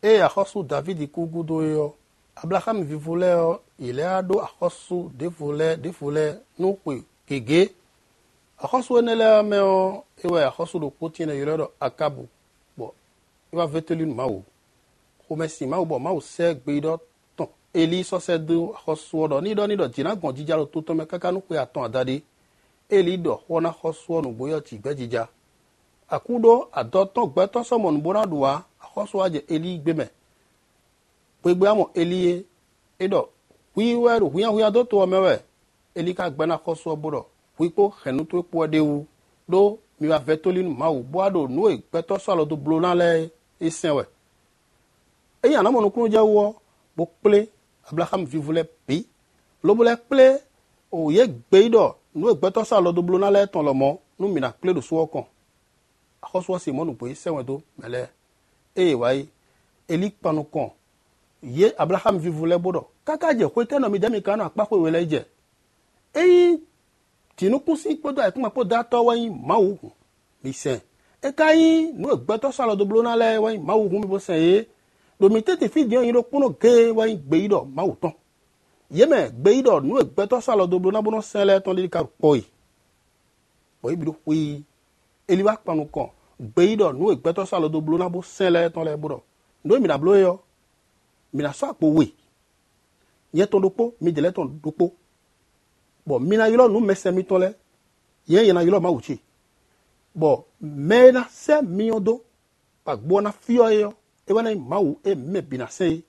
E axɔsu Davidi ku gudo yɔ Abraham vivu lɛ yɔ yìlɛ aɖo axɔsu ɖevo lɛ ɖevo lɛ nuxɔe gege axɔsu ene lɛ mɛ yɔ ewɔ axɔsu ɖo kpoti ne yɔrɔ Akabu bɔ ewa veteli nu Mawu xɔmɛsi Mawu bɔ Mawu sɛ gbe ɖɔ tɔn Eli sɔsɛ do axɔsuɔ ɖɔ ni ɖɔ ni ɖɔ dzina gɔn dzidza ɖo totɔ mɛ kaka nuxɔe atɔn adaɖi Eli ɖɔ xɔ na xɔsuɔ nugboyɔ tsi gbɛ dzidza akuɖo adɔtɔn gbɛtɔ sɔmɔ nubona ɖua axɔsua dze Eli gbeme gbegbe amɔ Eli ye eɖɔ huiwɛ ɖo huyahuya do toɔ mɛwɛ Eli ka gbɛna xɔsuɔ bo ɖɔ huikpo xɛnuto kpoɔ ɖewu ɖo miwa vɛtoli nu Mawu bo aɖo nu ye gbɛtɔ sɔ alɔ do blo na lɛ esɛwɛ eyi anamɔnukunu dze wɔ bo kple Abraham vivu lɛ bi lobo lɛ kple o ye gbe yi ɖɔ nu ye gbɛtɔ sɔ alɔ do blo na lɛ tɔn lɔmɔ nu mina kple ɖo suɔ kɔn axɔsuɔ si mɔnu gbe sɛwɛ do mɛlɛ eye wayi Eli kpanu kɔn ye Abraham vivu lɛ bo ɖɔ kaka dze xoe tɛnɔ mi demi kanu akpaxoe wɛ lɛ dze eyi tinukusi kpɔdɔ ayikuma kpɔdɔ atɔ wɔnyi Mawu hu mi sɛn eka yi nu egbɛtɔ sɔ alɔ do blo na lɛ wɔnyi Mawu hu mi bo sɛn ye domi tete fi diɛ yi ɖo kpono ge wɔnyi gbe yi ɖɔ Mawu tɔn yemɛ gbe yi ɖɔ nu egbɛtɔ sɔ alɔ do blo na bo nɔ sɛn lɛ tɔn li ka kpɔ yi bɔn ebi ɖo xoe Eli wa kpanu kɔn gbe yi ɖɔ nu egbɛtɔ sɔ alɔ do blo na bo sɛn lɛ tɔn lɛ bo ɖɔ nu mina blo yɔ mina sɔ akpo we nye tɔn ɖo kpo mi dze lɛ tɔn ɖo kpo bɔn mina ylɔ nu mɛsɛ mi tɔn lɛ yɛn yɛn na ylɔ Mawu tsi bɔn mɛ na sɛ miɔ do agbo na fiɔ yɔ ewɔ na Mawu e mɛ bina sɛ ye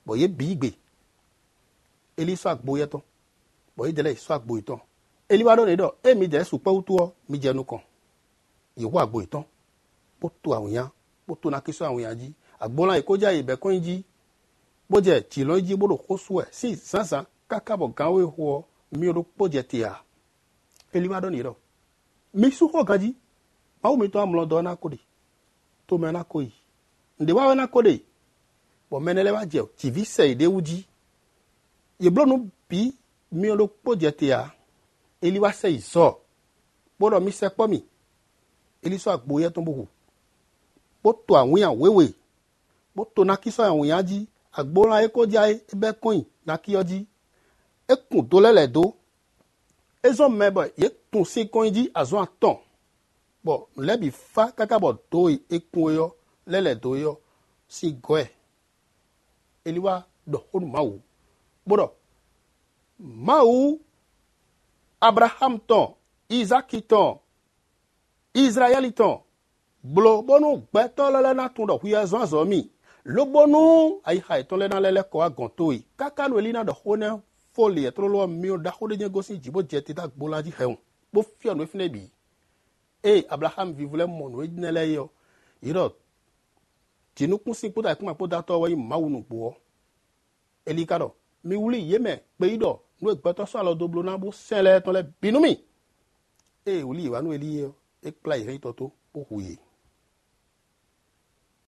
bɔn ye bi gbe Eli sɔ agbo yɛ tɔn bɔn ye dze lɛ sɔ agbo yi tɔn Eli wa ɖo ne ɖɔ e mi dze sukpɛwu toɔ mi dze nu kɔn yewu agbo yi tɔn kpoto awunya kpoto na kisɔ awunya dzi agbo la yi ko dza yi bɛ kɔn yi dzi kpodze tsilɔ dzi bo ɖo xosuɛ si zãzã kaka bɔ gãwoe xɔ mi ɖo kpodze tia Eli wa ɖɔ ne ɖɔ mi su xɔ gã dzi Mawu mi tɔ amlɔ dɔ na ko de tome na ko yi ŋde wa na ko de bɔn mɛnɛ lɛ wa dze tsivi sɛ yi ɖewu dzi yeblo nu bi mi ɖo kpodze tia Eli wa sɛ yi zɔ kpɔɖɔ mi sɛ kpɔ mi Eli sɔ agbo yɛ tɔn bo hu kpoto awunya wewe kpoto nakisɔ awunya dzi agbo la eko dza ye ebe kɔn nakiyɔ dzi ekun do lɛ lɛ do ezɔ mɛ bɔ ye kun si kɔn dzi azɔ atɔn bɔn lɛ bi fa kaka bɔ do yi ekun yɔ lɛ lɛ do yɔ si gɔɛ Eli wa dɔ xonu Mawu gbɔdɔ Mawu Abraham tɔn Isaki tɔn Israɛli tɔn gblɔ bɔnu gbɛtɔ lɛ lɛ na tun dɔ huya zɔn azɔ mi lobonu ayixa etɔn lɛ na lɛ lɛ kɔ agɔnto yi kaka nu Eli na dɔ xo ne foli ɛtrɔ lɔ miɔ da xo ɖe nye gosi dzibo dze te da gbo la dzi xɛŋ kpo fia nu efi ne bi eye Abraham vivu lɛ mɔ nu edine lɛ yɔ yi dɔ dzinukusi kpo da ekuma kpo datɔ wɔ yi Mawu nu gboɔ Eli ka dɔ mi wuli yemɛ kpe yi dɔ nu egbɛtɔ sɔ alɔ do blo na bo sɛn lɛ tɔn lɛ binu mi eye wuli yi wa nu Eli yɔ ekpla yi hɛn tɔ to kpo hu yi.